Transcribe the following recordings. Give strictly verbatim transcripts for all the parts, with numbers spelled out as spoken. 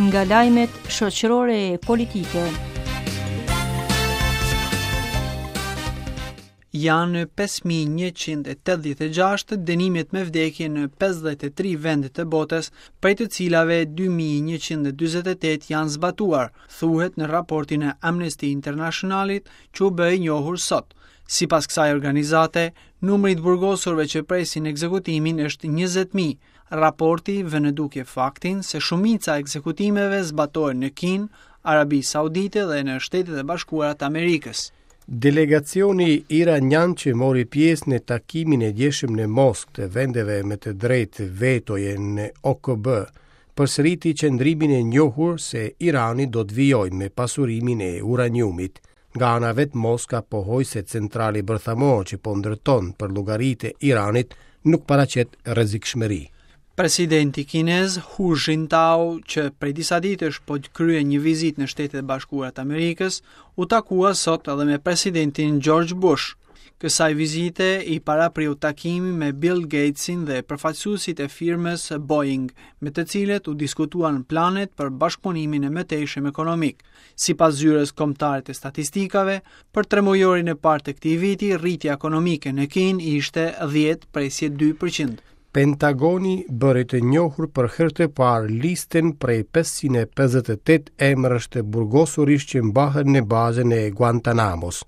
Nga lajmet shoqërore e politike. Janë pesë mijë e njëqind e tetëdhjetë e gjashtë dënimet me vdekje në pesëdhjetë e tri vende të botës, prej të cilave dy mijë e njëqind e dyzet e tetë janë zbatuar, thuhet në raportin e Amnesty Internationalit që u bë i njohur sot. Sipas kësaj organizate, numri i të burgosurve që presin ekzekutimin është njëzet mijë. Raporti vë në dukje faktin se shumica e ekzekutimeve zbatohen në Kinë, Arabi Saudite dhe në Shtetet e Bashkuara të Amerikës. Delegacioni iranian që mori pjesë në takimin e djeshëm në Moskë të vendeve me të drejtë vetoje në O K B, përsëriti qëndrimin e njohur se Irani do të vijojë me pasurimin e uraniumit. Nga ana vetë, Moska pohoi se centrali bërthamor që po ndërton për llogaritë e Iranit nuk paraqet rrezikshmëri. Presidenti kinez Hu Jintao, që prej disa ditësh po kryen një vizitë në Shtetet e Bashkuara të Amerikës, u takua sot edhe me presidentin George Bush. Kësaj vizite i parapriu takimi me Bill Gatesin dhe përfaqësuesit e firmës Boeing, me të cilët u diskutuan planet për bashkëpunimin e mëtejshëm ekonomik. Sipas Zyrës Kombëtare të Statistikave, për tremujorin e parë të këtij viti, rritja ekonomike në Kinë ishte dhjetë presje dy për qind. Pentagoni bëri të njohur për herë të parë listën prej pesëqind e pesëdhjetë e tetë emrash të burgosurish që mbahen në bazën e Guantanamos,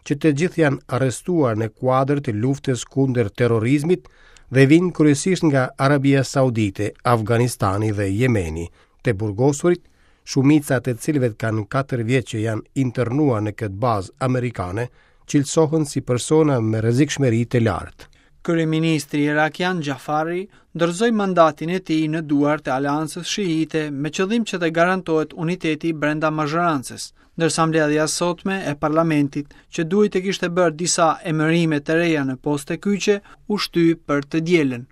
që të gjithë janë arrestuar në kuadër të luftës kundër terrorizmit dhe vinë kryesisht nga Arabia Saudite, Afganistani dhe Jemeni. Të burgosurit, shumica të cilëve kanë katër vjet që janë internuar në këtë bazë amerikane, cilësohen si persona me rrezikshmëri të lartë. Kryeministri irakian Xhafari dorëzoi mandatin e tij në duart e Aleancës Shiite me qëllim që të garantohet uniteti brenda mazhorancës, ndërsa mbledhja e sotme e parlamentit, që duhej të kishte bërë disa emërime të reja në poste kyçe, u shty për të dielën.